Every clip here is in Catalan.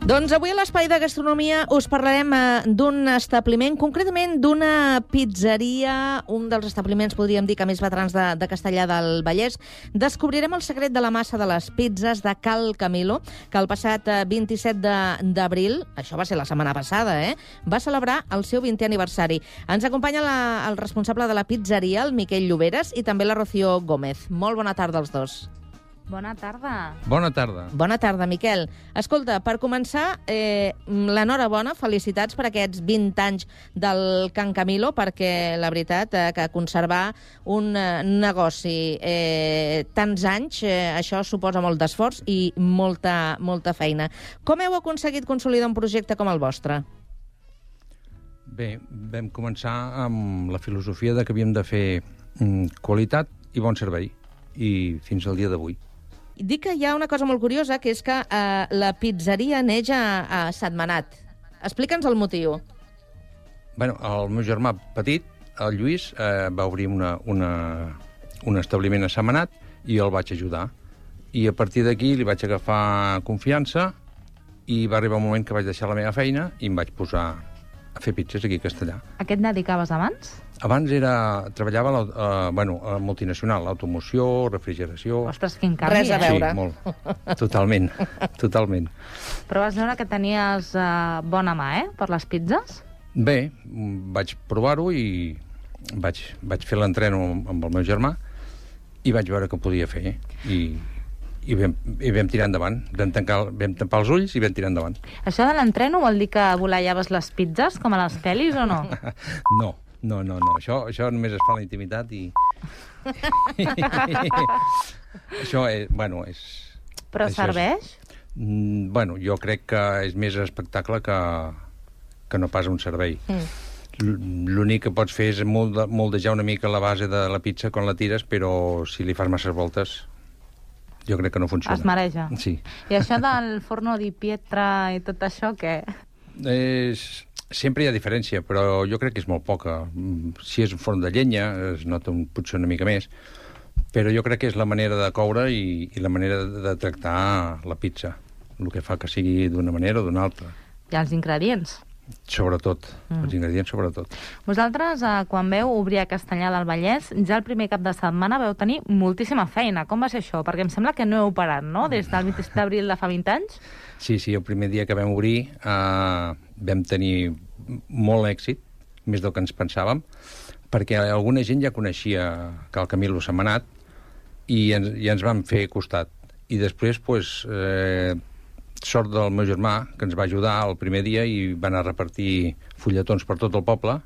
Doncs avui a l'Espai de Gastronomia us parlarem d'un establiment, concretament d'una pizzeria, un dels establiments, podríem dir, que més veterans de Castellar del Vallès. Descobrirem el secret de la massa de les pizzas de Cal Camilo, que el passat 27 d'abril, això va ser la setmana passada, va celebrar el seu 20è aniversari. Ens acompanya el responsable de la pizzeria, el Miquel Lloberes, i també la Rocío Gómez. Molt bona tarda als dos. Bona tarda. Bona tarda. Bona tarda, Miquel. Escolta, per començar, l'enhorabona, felicitats per aquests 20 anys del Can Camilo, perquè la veritat que conservar un negoci tants anys, això suposa molt d'esforç i molta feina. Com heu aconseguit consolidar un projecte com el vostre? Bé, vam començar amb la filosofia de que havíem de fer qualitat i bon servei, i fins al dia d'avui. Dic que hi ha una cosa molt curiosa, que és que la pizzeria neix a Sentmenat. Explica'ns el motiu. Bueno, el meu germà petit, el Lluís, va obrir un establiment a Sentmenat i jo el vaig ajudar. I a partir d'aquí li vaig agafar confiança i va arribar un moment que vaig deixar la meva feina i em vaig posar a fer pizzas aquí a Castellar. A què et dedicaves abans? Abans treballava a la multinacional, automoció, refrigeració... Ostres, quin canvi, Res a veure. Sí, molt. Totalment. Però vas veure que tenies bona mà, per les pizzas? Bé, vaig provar-ho i vaig fer l'entreno amb el meu germà i vaig veure que ho podia fer. I vam tirar endavant. Vam tampar els ulls i vam tirar endavant. Això de l'entreno vol dir que volallaves les pizzas, com a les pel·lis, o no? No. Això només es fa a la intimitat i... Això és... Però serveix? Jo crec que és més espectacle que no pas un servei. L'únic que pots fer és moldejar una mica la base de la pizza quan la tires, però si li fas masses voltes, jo crec que no funciona. Es mareja? Sí. I això del forno di pietra i tot això, què? Sempre hi ha diferència, però jo crec que és molt poca. Si és un forn de llenya, es nota potser una mica més, però jo crec que és la manera de coure i la manera de tractar la pizza, el que fa que sigui d'una manera o d'una altra. I els ingredients? Sobretot, els ingredients sobretot. Vosaltres, quan veu obrir a Castellar del Vallès, ja el primer cap de setmana veu tenir moltíssima feina. Com va ser això? Perquè em sembla que no heu parat, no?, des del 27 d'abril de fa 20 anys? Sí, el primer dia que vam obrir vam tenir molt èxit, més del que ens pensàvem, perquè alguna gent ja coneixia Cal Camilo Sentmenat i ens van fer costat. I després, sort del meu germà, que ens va ajudar el primer dia i van a repartir fulletons per tot el poble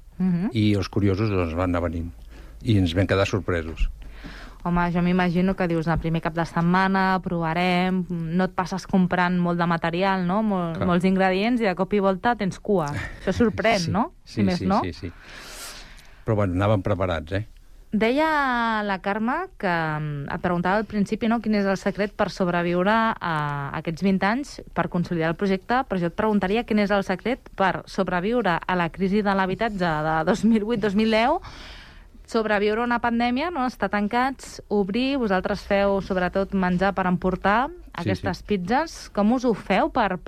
i els curiosos van anar venint. I ens vam quedar sorpresos. Home, jo m'imagino que dius, el primer cap de setmana provarem, no et passes comprant molt de material, no? Molts ingredients, i de cop i volta tens cua. Això sorprèn, sí, no? Sí. Però anàvem preparats, Deia la Carme que et preguntava al principi, no, quin és el secret per sobreviure a aquests 20 anys, per consolidar el projecte, però jo et preguntaria quin és el secret per sobreviure a la crisi de l'habitatge de 2008-2010, sobreviure a una pandèmia, no? Estar tancats, obrir, vosaltres feu sobretot menjar per emportar, aquestes pizzas. Com us ho feu per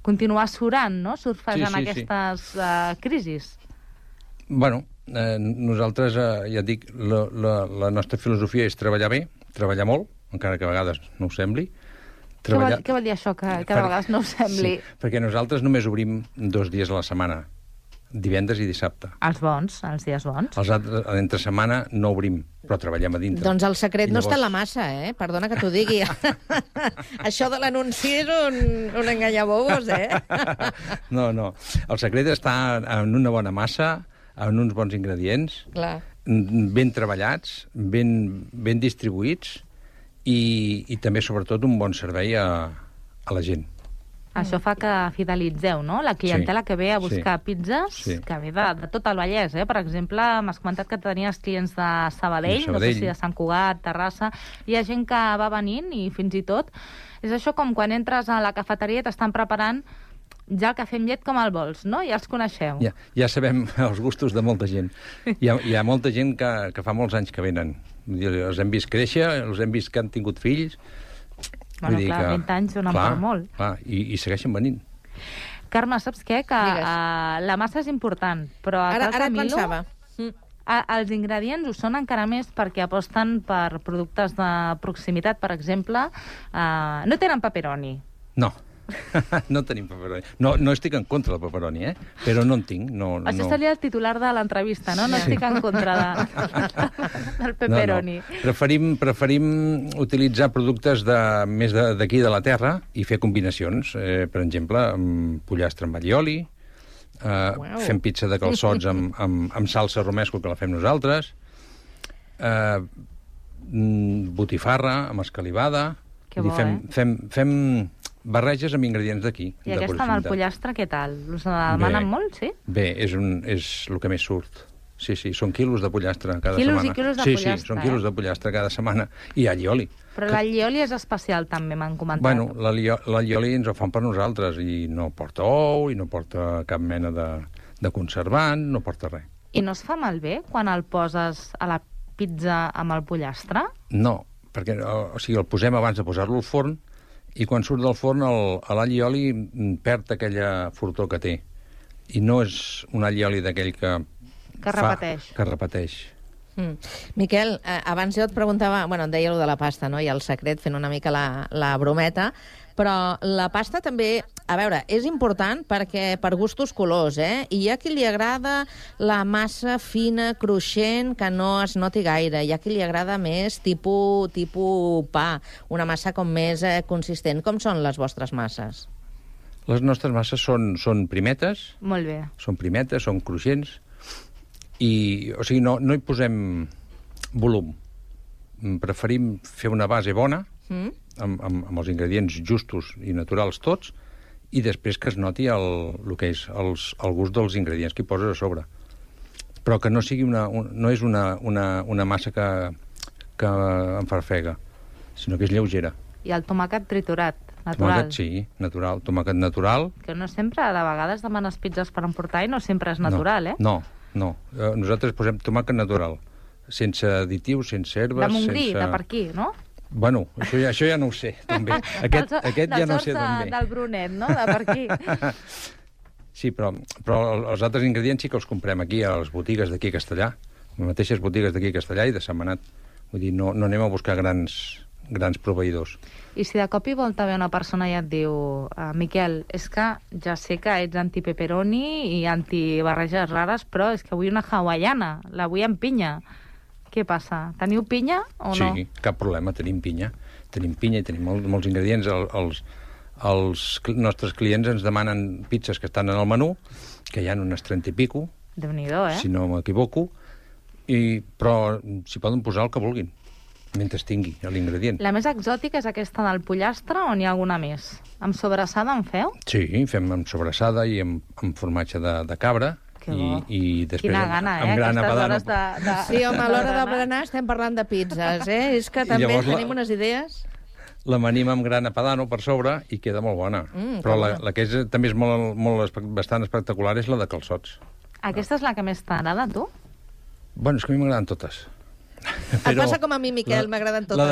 continuar surant, no? Surfejant aquestes crisis? Bueno, nosaltres, ja et dic, la nostra filosofia és treballar bé, treballar molt, encara que a vegades no ho sembli. Què vol dir això, que a vegades no ho sembli? Sí, perquè nosaltres només obrim 2 dies a la setmana, divendres i dissabte. Els bons, els dies bons. Els altres, entre setmana, no obrim, però treballem a dintre. Doncs el secret no està en la massa, Perdona que t'ho digui. Això de l'anunci és un enganyabobos, No. El secret està en una bona massa, en uns bons ingredients, ben treballats, ben distribuïts i també, sobretot, un bon servei a la gent. Això fa que fidelitzeu, no?, la clientela que ve a buscar pizzas, que ve de tot el Vallès, Per exemple, m'has comentat que tenies clients de Sabadell, no sé si de Sant Cugat, Terrassa. Hi ha gent que va venint i fins i tot... És això com quan entres a la cafeteria i t'estan preparant ja el cafè amb llet com el vols, no? Ja els coneixeu. Ja sabem els gustos de molta gent. Hi ha molta gent que fa molts anys que venen. Els hem vist créixer, els hem vist que han tingut fills. Bueno, clar, 20 anys donen per molt. Clar, i segueixen venint. Carme, saps què? Que la massa és important, però ara et pensava. Els ingredients ho són encara més perquè aposten per productes de proximitat, per exemple. No tenen pepperoni. No. No tenim pepperoni. No estic en contra del pepperoni, però no en tinc. Això seria el titular de l'entrevista, no? No estic en contra del pepperoni. No. Preferim utilitzar productes més d'aquí de la terra i fer combinacions. Per exemple, pollastre amb allioli, fem pizza de calçots amb salsa romesco, que la fem nosaltres, botifarra amb escalivada. Que bo, fem barreges amb ingredients d'aquí. I aquesta amb el pollastre, què tal? Us demanen molt, sí? Bé, és el que més surt. Sí, són quilos de pollastre cada setmana. Quilos i quilos de pollastre, Sí, són quilos de pollastre cada setmana. I allioli. Però l'allioli és especial, també, m'han comentat. Bueno, l'allioli ens ho fan per nosaltres i no porta ou, i no porta cap mena de conservant, no porta res. I no es fa malbé quan el poses a la pizza amb el pollastre? No, perquè el posem abans de posar-lo al forn i quan surt del forn l'allioli perd aquella fortor que té. I no és un allioli d'aquell que repeteix. Miquel, abans jo et preguntava, em deia allò de la pasta, no? I el secret, fent una mica la brometa, però la pasta també, a veure, és important perquè per gustos colors, I hi ha qui li agrada la massa fina, cruixent, que no es noti gaire. Hi ha qui li agrada més tipus pa, una massa com més consistent. Com són les vostres masses? Les nostres masses són primetes. Molt bé. Són primetes, són cruixents. O sigui, no hi posem volum. Preferim fer una base bona, amb els ingredients justos i naturals tots, i després que es noti el que és el gust dels ingredients que hi poses a sobre. Però que no sigui no és una massa que em farfega, sinó que és lleugera. I el tomàquet triturat, natural. Tomàquet, sí, natural. Tomàquet natural. Que no sempre, de vegades demanes pizzas per emportar i no sempre és natural, No. Nosaltres posem tomàquet natural, sense additius, sense herbes... De Montgrí, de per aquí, no? Bueno, això ja no ho sé, també. Aquest ja no ho sé també. Del Brunet, no? De per aquí. Sí, però els altres ingredients sí que els comprem aquí, a les botigues d'aquí a Castellà, les mateixes botigues d'aquí a Castellà i de Sentmenat. Vull dir, no anem a buscar grans proveïdors. I si de cop i volta ve una persona i et diu Miquel, és que ja sé que ets anti-pepperoni i anti-barreges rares, però és que vull una hawaiana, la vull amb pinya. Què passa? Teniu pinya o no? Sí, cap problema, tenim pinya. Tenim pinya i tenim molts ingredients. Els nostres clients ens demanen pizzas que estan en el menú, que hi ha unes 30 i pico, Déu-n'hi-do, si no m'equivoco, però s'hi poden posar el que vulguin, mentre tingui l'ingredient. La més exòtica és aquesta del pollastre o n'hi ha alguna més? Amb sobrassada en feu? Sí, fem amb sobrassada i amb formatge de cabra. I després quina gana, amb grana padano. Sí, home, a l'hora de berenar estem parlant de pizzas, És que també tenim unes idees. L'amanim amb grana padano per sobre i queda molt bona. Però la que també és bastant espectacular és la de calçots. Aquesta és la que més t'agrada, tu? Bueno, és que a mi m'agraden totes. Et passa com a mi, Miquel, m'agraden totes. La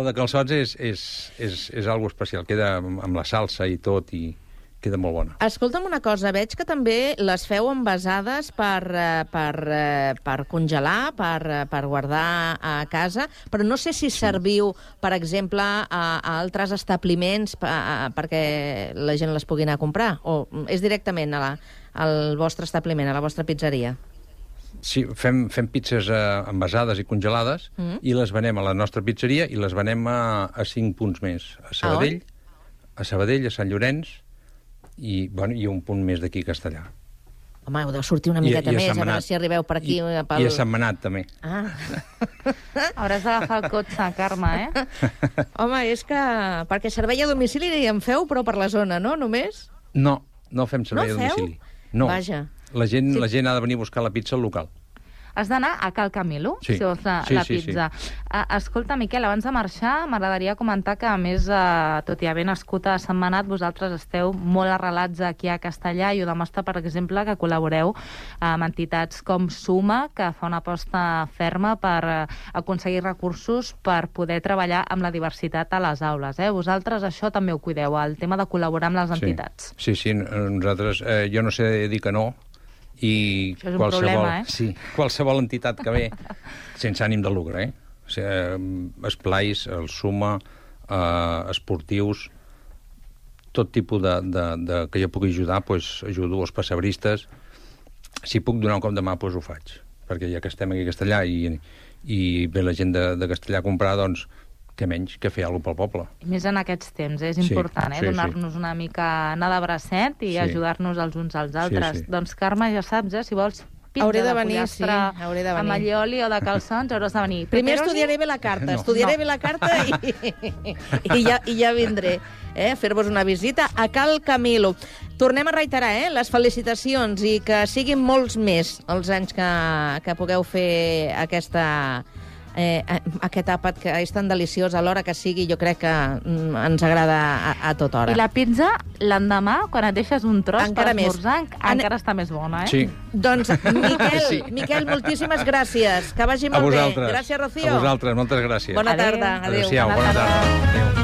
de calçots és algo especial. Queda amb la salsa i tot i queda molt bona. Escolta'm una cosa, veig que també les feu envasades per congelar, per guardar a casa, però no sé si serviu, per exemple, a altres establiments perquè la gent les pugui anar a comprar, o és directament al vostre establiment, a la vostra pizzeria? Sí, fem pizzas envasades i congelades i les venem a la nostra pizzeria i les venem a 5 punts més. A Sabadell, a Sant Llorenç i un punt més d'aquí a Castellà. Home, heu de sortir una miqueta més, a veure si arribeu per aquí. I a Sentmenat, també. Hauràs d'agafar el cotxe, Carme, Home, és que... Perquè servei a domicili en feu, però per la zona, no? Només? No fem servei a domicili. No. Vaja. La gent ha de venir a buscar la pizza al local. has d'anar a Cal Camilo, Sí. si vols la pizza. Escolta, Miquel, abans de marxar, m'agradaria comentar que, a més, tot i haver nascut a Sentmenat, vosaltres esteu molt arrelats aquí a Castellà i ho demostra, per exemple, que col·laboreu amb entitats com Suma, que fa una aposta ferma per aconseguir recursos per poder treballar amb la diversitat a les aules. Vosaltres això també ho cuideu, el tema de col·laborar amb les entitats. Sí, nosaltres, jo no sé dir que no, i això és un problema, sí, qualsevol entitat que ve, sense ànim de lucre, o sigui, esplais, el Suma, esportius, tot tipus de que jo pugui ajudar, doncs ajudo, els pessebristes. Si puc donar un cop de mà, doncs ho faig, perquè ja que estem aquí a Castellà i ve la gent de Castellà a comprar, doncs què menys que fer alguna cosa pel poble. I més en aquests temps, és important, donar-nos una mica anar de bracet i ajudar-nos els uns als altres. Doncs, Carme, ja saps, si vols pizza de pollastre amb allioli o de calçons, hauràs de venir. Primer estudiaré bé la carta, estudiaré bé la carta i ja vindré a fer-vos una visita a Cal Camilo. Tornem a reiterar les felicitacions i que siguin molts més els anys que pugueu fer aquest àpat que és tan deliciós a l'hora que sigui, jo crec que ens agrada a tota hora. I la pizza, l'endemà, quan et deixes un tros per esmorzar, encara està més bona, Sí. Doncs, Miquel, moltíssimes gràcies. Que vagi molt bé. Gràcies, Rocío. A vosaltres, moltes gràcies. Bona tarda. Adéu. Adéu-siau, bona tarda. Adéu.